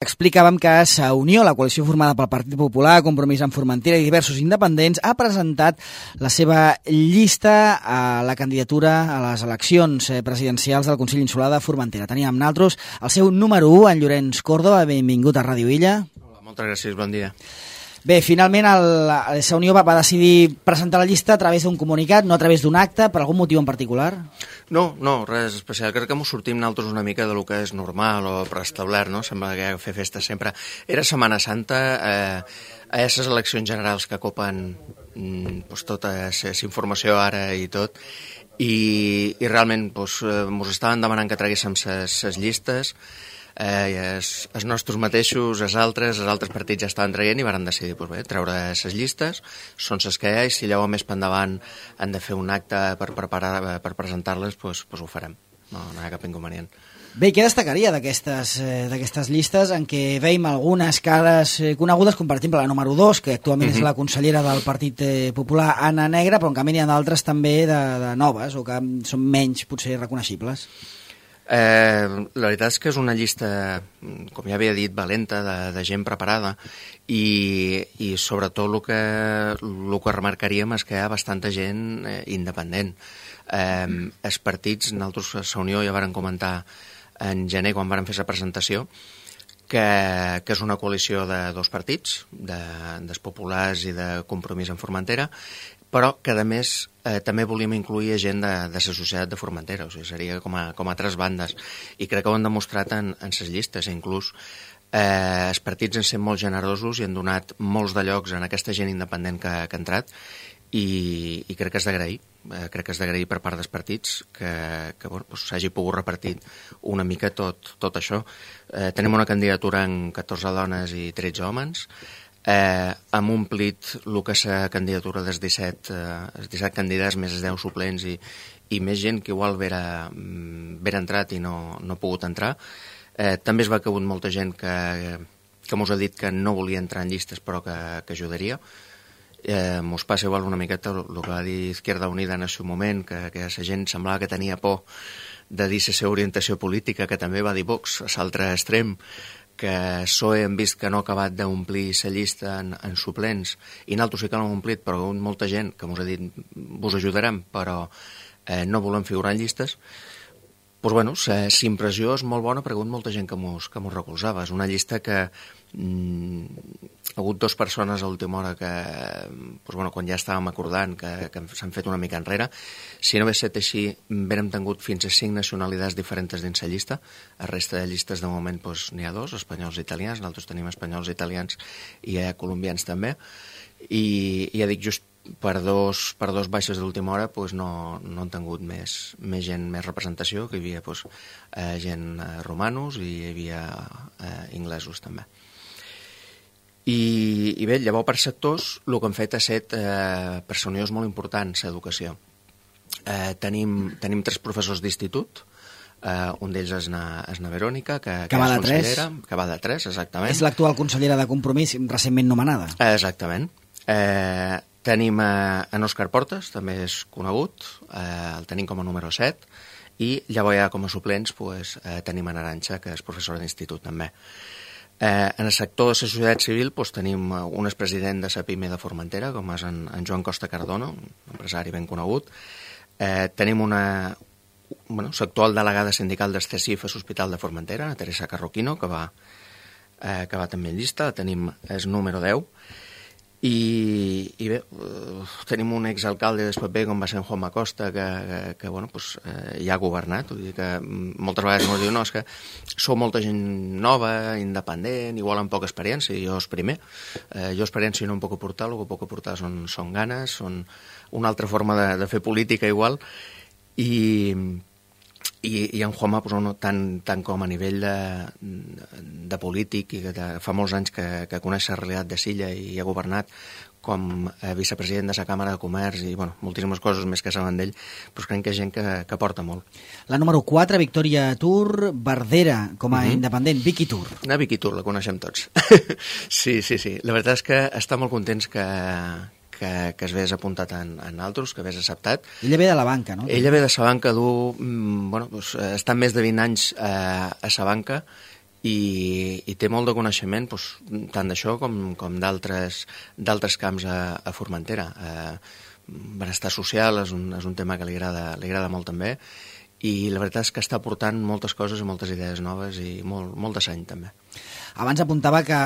Explicàvem que Sa Unió, la coalició formada pel Partit Popular, Compromís amb Formentera i diversos independents, ha presentat la seva llista a la candidatura a les eleccions presidencials del Consell Insular de Formentera. Teníem amb nosaltres el seu número 1, en Llorenç Córdoba. Benvingut a Ràdio Illa. Hola, moltes gràcies, bon dia. Bé, finalment Sa Unió va decidir presentar la llista a través d'un comunicat, no a través d'un acte, per algun motiu en particular? No, res especial. Crec que m'ho sortim nosaltres una mica de lo que és normal o preestablert, no? Sembla que fer festa sempre. Era Setmana Santa, a aquestes eleccions generals que copen tota aquesta informació ara i tot, i realment mos estaven demanant que traguéssim ses llistes, els nostres mateixos, els altres partits ja estaven traient i varen decidir treure les llistes, són les que hi ha, i si llavors més per endavant han de fer un acte per presentar-les, doncs ho farem, no hi ha cap inconvenient. Bé, què destacaria d'aquestes llistes en què veiem algunes cares conegudes, com per exemple la número 2, que actualment és la consellera del Partit Popular, Anna Negra, però en canvi n'hi ha d'altres també de noves o que són menys potser reconeixibles? La veritat és que és una llista, com ja havia dit, valenta, de gent preparada, i sobretot el que remarcaríem és que hi ha bastanta gent independent. Els partits, nosaltres a Sa Unió ja varen comentar en gener, quan varen fer la presentació, que és una coalició de dos partits, dels Populars i de Compromís amb Formentera, però que a més també volíem incluir gent de la societat de Formentera, o sigui, seria com a tres bandes, i crec que ho han demostrat en les llistes. Inclús els partits han estat molt generosos i han donat molts de llocs en aquesta gent independent que ha entrat, i crec que és d'agrair. Crec que és d'agrair per part dels partits que s'hagi pogut repartir una mica tot això. Tenim una candidatura en 14 dones i 13 homes. Hem omplit el que és la candidatura dels 17 candidats, més els 10 suplents i més gent que igual vera entrat i no ha pogut entrar. També es va caure molta gent que mos ha dit que no volia entrar en llistes però que ajudaria. Mos passa igual una miqueta el que va dir Izquierda Unida en el seu moment, que la gent semblava que tenia por de dir la seva orientació política, que també va dir Vox, a l'altre extrem, que PSOE hem vist que no ha acabat d'omplir la llista en suplents, i nosaltres sí que l'hem omplit, però molta gent que ens ha dit vos ajudarem, però no volem figurar en llistes. Doncs la impressió és molt bona, perquè hi ha hagut molta gent que mos recolzava. És una llista que hi ha hagut dues persones a l'última hora que, quan ja estàvem acordant, que s'han fet una mica enrere. Si no hagués estat així, hauríem tingut fins a 5 nacionalitats diferents dins la llista. La resta de llistes, de moment, n'hi ha 2, espanyols i italians. Nosaltres tenim espanyols i italians i colombians també. I ja dic, just per dos baixes de l'última hora no han tingut més gent, més representació, que hi havia gent romanos i hi havia inglesos també. I bé, llavors per sectors el que hem fet ha estat per Sa Unió és molt important l'educació. Tenim 3 professors d'institut, un d'ells és na Verònica, que va és de consellera, que va de 3, exactament. És l'actual consellera de Compromís, recentment nomenada. Exactament. Tenim en Òscar Portes, també és conegut, el tenim com a número 7, i llavors ja com a suplents tenim en Arantxa, que és professora d'institut també. En el sector de la societat civil tenim un expresident de la PIME de Formentera, com és en Joan Costa Cardono, un empresari ben conegut. Tenim l'actual delegada sindical del CECIF a l'Hospital de Formentera, la Teresa Carroquino, que va també en llista. Tenim el número 10. I bé, tenim un exalcalde del PP com va ser en Juanma Costa, que ja ha governat. Vull dir que moltes vegades ens diu no, és que sou molta gent nova, independent, igual amb poca experiència, i jo és primer. Jo experiència no em puc aportar, el que puc aportar són ganes, són una altra forma de fer política igual, i en Juanma, tant com a nivell de polític, i que fa molts anys que coneix la realitat de Silla i ha governat, com a vicepresident de la Càmera de Comerç i moltíssimes coses més que saben d'ell, però crec que és gent que aporta molt. La número 4, Victòria Tur, Verdera, com a independent, Vicky Tur. La Vicky Tur, la coneixem tots. Sí. La veritat és que està molt contents que es vés apuntat en altres, que vés acceptat. Ella ve de la banca, no? Ella ve de la banca, està més de 20 anys a la banca, i té molt de coneixement tant d'això com d'altres camps a Formentera. Benestar social és un tema que li agrada molt també, i la veritat és que està aportant moltes coses i moltes idees noves i molt de seny també. Abans apuntava que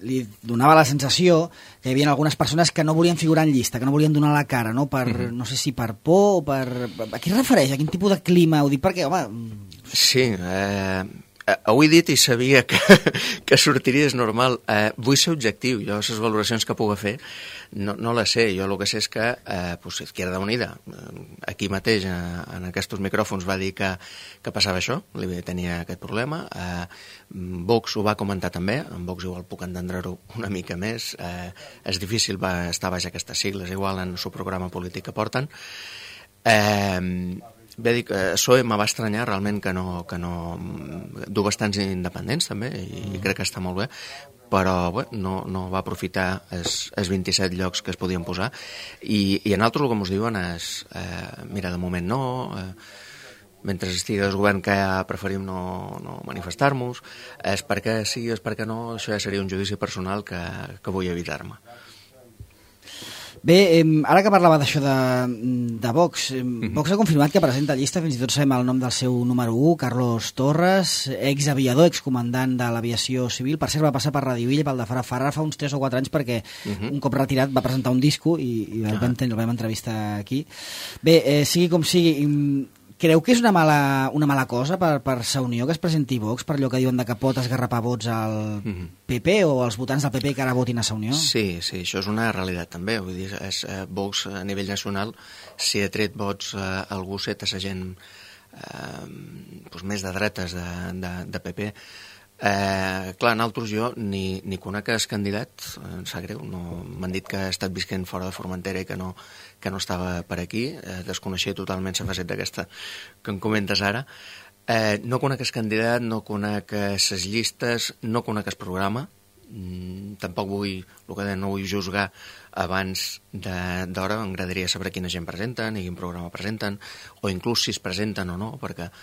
li donava la sensació que hi havia algunes persones que no volien figurar en llista, que no volien donar la cara, no? No sé si per por o per... A què es refereix? A quin tipus de clima? Ho dic perquè, home... Sí, ho he dit i sabia que sortiria, és normal. Vull ser objectiu. Jo les valoracions que puc fer no les sé. Jo el que sé és que Izquierda Unida, aquí mateix en aquests micròfons, va dir que passava això, tenia aquest problema. Vox ho va comentar també, en Vox igual puc entendre-ho una mica més. És difícil estar baix aquestes sigles, igual en el seu programa polític que porten. Bé, dic, PSOE me va estranyar realment que no du bastants independents també, i crec que està molt bé, però bé, no va aprofitar els 27 llocs que es podien posar, i en altres el que ens diuen és mira, de moment no, mentre estigui el govern que ja preferim no manifestar-nos, és perquè sí, és perquè no, això ja seria un judici personal que vull evitar-me. Bé, ara que parlava d'això de Vox, Vox ha confirmat que presenta llista, fins i tot sabem el nom del seu número 1, Carlos Torres, exaviador, excomandant de l'aviació civil. Per cert, va passar per Radio Illa i pel de Farà fa uns 3 o 4 anys perquè un cop retirat va presentar un disco i el vam entrevistar aquí. Bé, sigui com sigui, creu que és una mala cosa per Sa Unió que es presenti Vox, per allò que diuen que pot esgarrapar vots al PP o als votants del PP que ara votin a Sa Unió? Sí, això és una realitat també. Vull dir, Vox a nivell nacional, si ha tret vots algú set a la gent més de dretes de PP. Clar, en altres jo ni conec el candidat, em sap greu, m'han dit que ha estat visquent fora de Formentera i que no estava per aquí, desconeixia totalment la faceta aquesta que em comentes ara. No conec el candidat, no conec les llistes, no conec el programa, tampoc no vull juzgar abans d'hora. M'agradaria saber quina gent presenten i quin programa presenten, o inclús si es presenten o no, perquè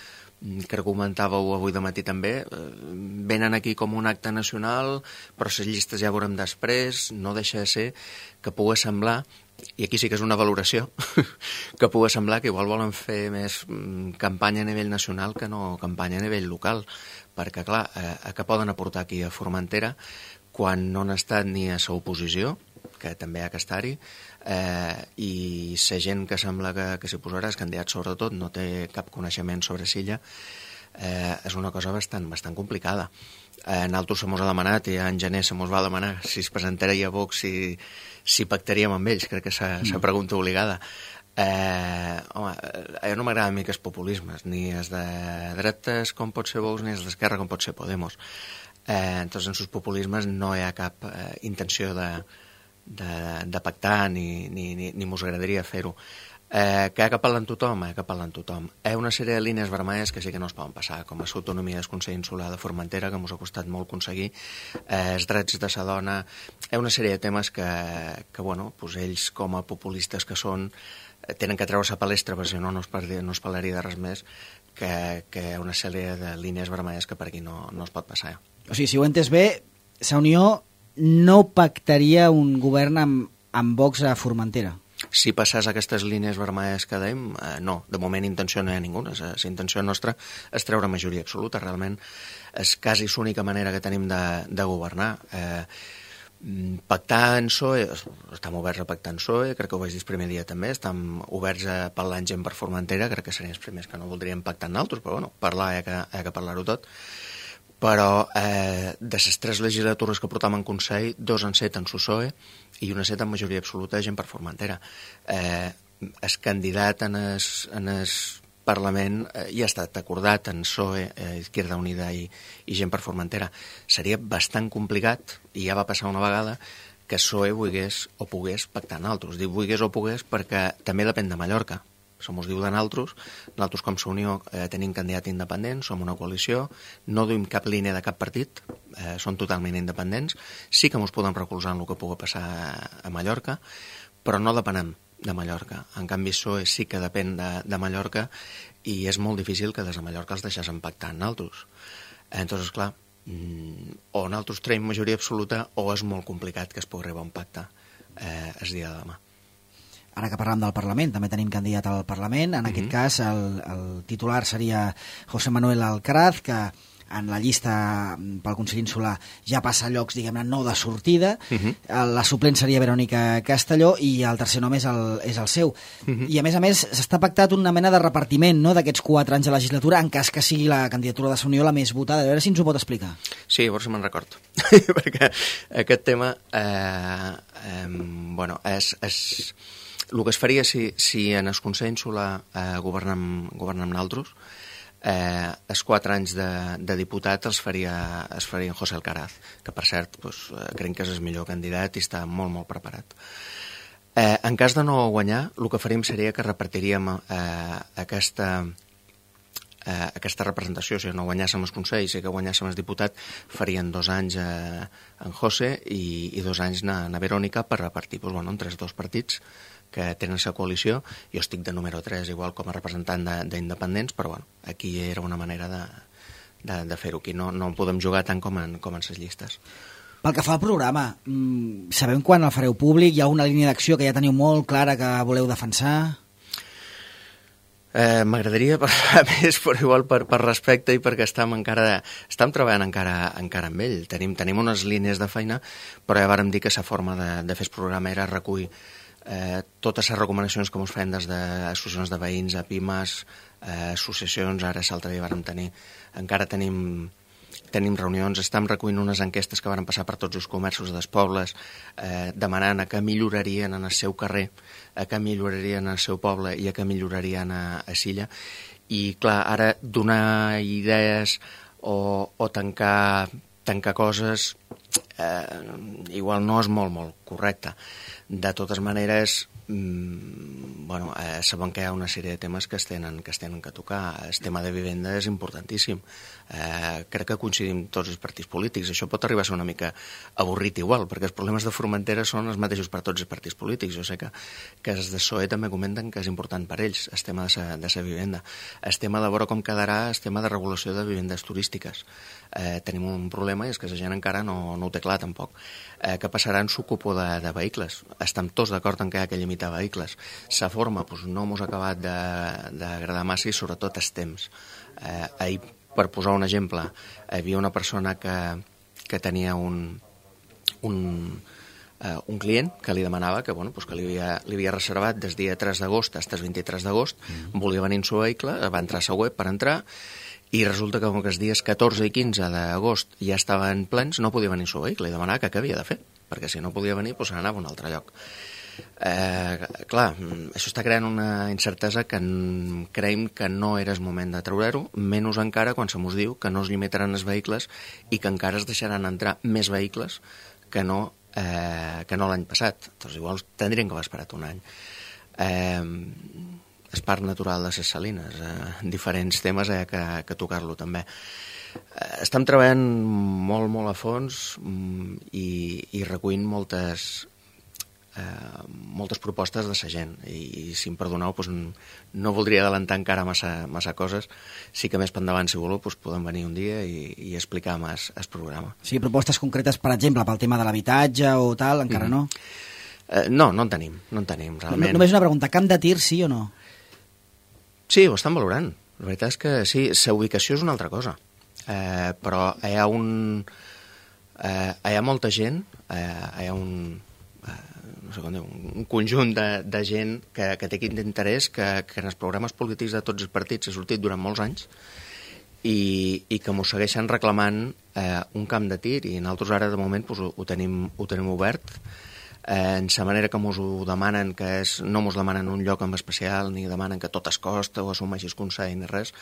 que comentàveu avui de matí també, venen aquí com un acte nacional, però les llistes ja veurem després. No deixa de ser que pugui semblar, i aquí sí que és una valoració, que pugui semblar que igual volen fer més campanya a nivell nacional que no campanya a nivell local, perquè clar, que poden aportar aquí a Formentera quan no han estat ni a l'oposició, que també ha que estar-hi, i la gent que sembla que s'hi posarà, el candidat sobretot, no té cap coneixement sobre Silla, és una cosa bastant complicada. Nosaltres se mos ha demanat, i en gener se mos va demanar si es presentaria a Vox, si pactaríem amb ells. Crec que és la pregunta obligada. Home, no m'agrada a mi que els populismes, ni els de dretes com pot ser Vox, ni els d'esquerra com pot ser Podemos. Entonces en els populismes no hi ha cap intenció de pactar, ni mos agradaria fer-ho. Que ha que parlar amb tothom, Hi ha una sèrie de línies vermelles que sí que no es poden passar, com és l'autonomia del Consell Insular de Formentera, que ens ha costat molt aconseguir, els drets de la dona. Hi ha una sèrie de temes que ells, com a populistes que són, tenen que treure la palestra, perquè si no es parlaria de res més, que hi ha una sèrie de línies vermelles que per aquí no es pot passar. O sigui, si ho he entès bé, Sa Unió no pactaria un govern amb Vox a Formentera? Si passés aquestes línies vermelles que dèiem, no. De moment intenció no hi ha ninguna. La intenció nostra és treure majoria absoluta. Realment és quasi l'única manera que tenim de governar. Pactar en PSOE, estem oberts a pactar en PSOE, crec que ho vaig dir el primer dia també, estem oberts a parlar amb gent per Formentera, crec que serien els primers que no voldríem pactar amb nosaltres, però parlar hi ha que parlar-ho tot. Però de les 3 legislatures que portam en Consell, 2 han set en PSOE i una set en majoria absoluta de gent per Formentera. El candidat en el Parlament ja ha estat acordat en PSOE, Izquierda Unida i gent per Formentera. Seria bastant complicat, i ja va passar una vegada, que PSOE volgués o pogués pactar amb altres. Dic volgués o pogués perquè també depèn de Mallorca. Som us diu de nosaltres com Sa Unió tenim candidat independent, som una coalició, no duim cap línia de cap partit, som totalment independents, sí que ens podem recolzar en el que pugui passar a Mallorca, però no depenem de Mallorca. En canvi, PSOE sí que depèn de Mallorca i és molt difícil que des de Mallorca els deixés pactar amb nosaltres. Entonces, clar, o nosaltres traiem majoria absoluta o és molt complicat que es pugui arribar a un pacte el dia de demà. Ara que parlem del Parlament, també tenim candidat al Parlament. En aquest cas, el titular seria José Manuel Alcaraz, que en la llista pel Consell Insular ja passa llocs, diguem-ne, no de sortida. La suplent seria Verònica Castelló i el tercer nom és el seu. I a més, s'està pactat una mena de repartiment, no?, d'aquests 4 anys de legislatura, en cas que sigui la candidatura de Unió la més votada. A veure si ens ho pot explicar. Sí, a veure si me'n record. Perquè aquest tema, el que es faria si en el Consell Insular governem nosaltres, els 4 anys de diputat els faria en José Alcaraz, que per cert crec que és el millor candidat i està molt, molt preparat. En cas de no guanyar, el que faríem seria que repartiríem aquesta representació. Si no guanyàssim els consells i que guanyàssim el diputat, farien 2 anys en José i 2 anys na Verònica per repartir entre els 2 partits que tenen la coalició. Jo estic de número 3, igual com a representant d'independents, però aquí era una manera de fer-ho. Aquí no podem jugar tant com en les llistes. Pel que fa al programa, sabem quan el fareu públic? Hi ha una línia d'acció que ja teniu molt clara que voleu defensar? M'agradaria parlar més, però igual per respecte i perquè estem treballant encara amb ell. Tenim unes línies de feina, però ja vàrem dir que la forma de fer el programa era recollir totes les recomanacions que ens feien des d'associacions de veïns, a pimes, associacions, ara l'altre dia vàrem tenir, encara tenim reunions, estem recollint unes enquestes que varen passar per tots els comerços dels pobles, demanant que millorarien en el seu carrer, que millorarien en el seu poble i que millorarien a Silla. I clar, ara donar idees o tancar coses igual no és molt correcte. De totes maneres, sabem que hi ha una sèrie de temes que es tenen que tocar. El tema de vivenda és importantíssim. Crec que coincidim tots els partits polítics. Això pot arribar a ser una mica avorrit igual, perquè els problemes de Formentera són els mateixos per tots els partits polítics. Jo sé que els de PSOE també comenten que és important per ells el tema de la vivenda. El tema de veure com quedarà el tema de regulació de vivendes turístiques. Tenim un problema i és que la gent encara no ho té clar tampoc. Què passarà en l'ocupo de vehicles? Estem tots d'acord en que hi ha que limitar vehicles. La forma no ens ha acabat d'agradar massa i sobretot els temps. Ahir, per posar un exemple, hi havia una persona que tenia un client que li demanava que li havia reservat des dia 3 d'agost fins el 23 d'agost, volia venir en el seu vehicle, va entrar a la web per entrar i resulta que els dies 14 i 15 d'agost ja estaven plens, no podia venir en el seu vehicle i demanava què havia de fer, perquè si no podia venir se n'anava a un altre lloc. Clar, això està creant una incertesa que creiem que no era el moment de treure-ho, menys encara quan se mos diu que no es limitaran els vehicles i que encara es deixaran entrar més vehicles que no l'any passat. Doncs igual tindrien que haver esperat un any. El parc natural de les Salines, diferents temes que tocar-lo també. Estem treballant molt a fons i recollint moltes propostes de la gent i si em perdoneu no voldria adelantar encara massa coses. Sí que més per endavant, si voleu, podem venir un dia i explicar més el programa. Sí, propostes concretes, per exemple, pel tema de l'habitatge o tal, encara no? No en tenim realment. Només una pregunta, camp de tir sí o no? Sí, ho estan valorant. La veritat és que sí, la ubicació és una altra cosa. Però hi ha molta gent, hi ha un conjunt de gent que té aquest interès que en els programes polítics de tots els partits ha sortit durant molts anys i que m'ho segueixen reclamant un camp de tir i nosaltres ara de moment ho tenim obert en la manera que ens ho demanen, que no ens demanen un lloc en especial ni demanen que tot es costa o assumeixis consell ni res,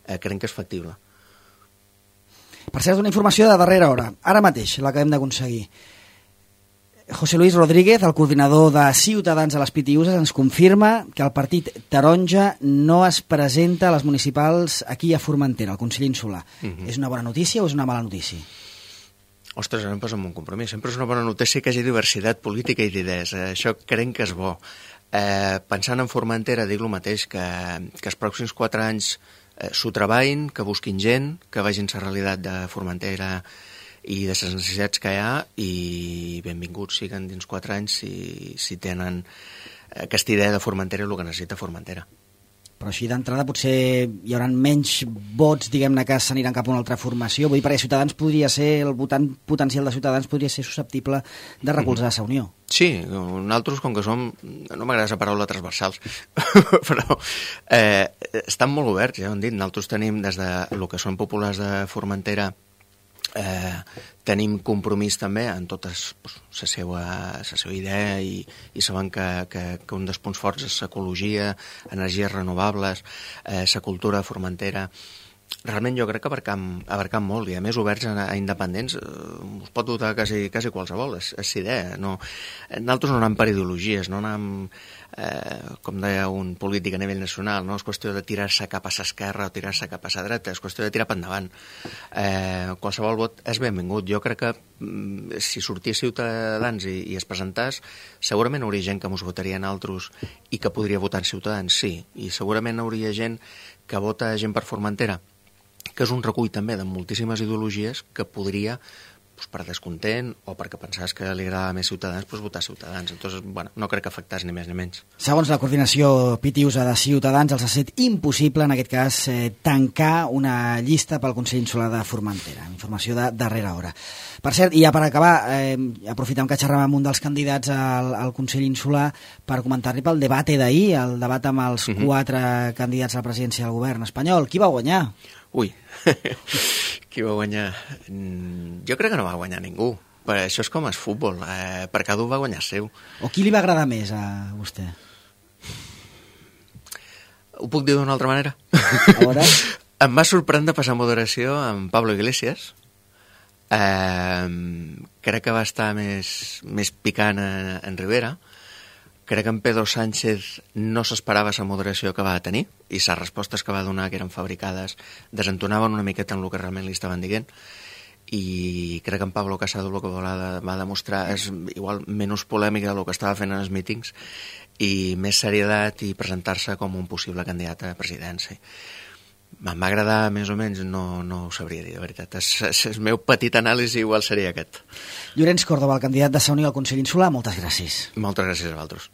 creiem que és factible. Per cert, una informació de darrera hora, ara mateix l'acabem d'aconseguir. José Luis Rodríguez, el coordinador de Ciutadans a les Pitiuses, ens confirma que el partit taronja no es presenta a les municipals aquí a Formentera, al Consell Insular. És una bona notícia o és una mala notícia? Ostres, ara em posa en un compromís. Sempre és una bona notícia que hi hagi diversitat política i d'idees. Això crec que és bo. Pensant en Formentera, dic el mateix, que els pròxims 4 anys s'ho treballin, que busquin gent, que vegin la realitat de Formentera i de les necessitats que hi ha, i benvinguts siguen dins 4 anys si tenen aquesta idea de Formentera i el que necessita Formentera. Però així d'entrada potser hi haurà menys vots, diguem-ne, que s'aniran cap a una altra formació. Vull dir, perquè Ciutadans podria ser, el votant potencial de Ciutadans podria ser susceptible de recolzar la Unió. Sí, nosaltres, com que som, no m'agrada la paraula transversals, però estan molt oberts, ja ho hem dit. Nosaltres tenim, des de el que són populars de Formentera, tenim compromís també en totes la seva idea i sabem que un dels punts forts és l'ecologia, energies renovables, la cultura formentera. Realment jo crec que abarcam molt, i a més oberts a independents us pot dotar quasi qualsevol, és idea. Nosaltres no anem per ideologies, no anem, com deia un polític a nivell nacional, no és qüestió de tirar-se cap a l'esquerra o tirar-se cap a la dreta, és qüestió de tirar per endavant. Qualsevol vot és benvingut. Jo crec que si sortís Ciutadans i es presentàs, segurament hauria gent que mos votaria en altres i que podria votar en Ciutadans, sí, i segurament hauria gent que vota gent per Formentera, que és un recull també de moltíssimes ideologies que podria, per descontent o perquè pensaves que li agradava més Ciutadans, votar Ciutadans. Entonces, no crec que afectés ni més ni menys. Segons la coordinació pitiusa de Ciutadans, els ha estat impossible, en aquest cas, tancar una llista pel Consell Insular de Formentera. Informació de darrera hora. Per cert, i ja per acabar, aprofitem que xerrem amb un dels candidats al Consell Insular per comentar-li pel debat d'ahir, el debat amb els 4 candidats a la presidència del govern espanyol. Qui va guanyar? Ui, qui va guanyar? Jo crec que no va guanyar ningú. Però això és com el futbol, per cada un va guanyar seu. O qui li va agradar més a vostè? Ho puc dir d'una altra manera? A veure? Em va sorprendre passar moderació amb Pablo Iglesias. Crec que va estar més picant en Rivera. Crec que en Pedro Sánchez no s'esperava la moderació que va tenir i les respostes que va donar, que eren fabricades, desentonaven una miqueta en el que realment li estaven dient, i crec que en Pablo Casado el que va demostrar és igual menys polèmica del que estava fent en els mítings i més seriedat i presentar-se com un possible candidat a presidència. Em va agradar més o menys, no ho sabria dir, de veritat. El meu petit anàlisi igual seria aquest. Llorenç Córdoba, el candidat de la Unió al Consell Insular, moltes gràcies. Moltes gràcies a vosaltres.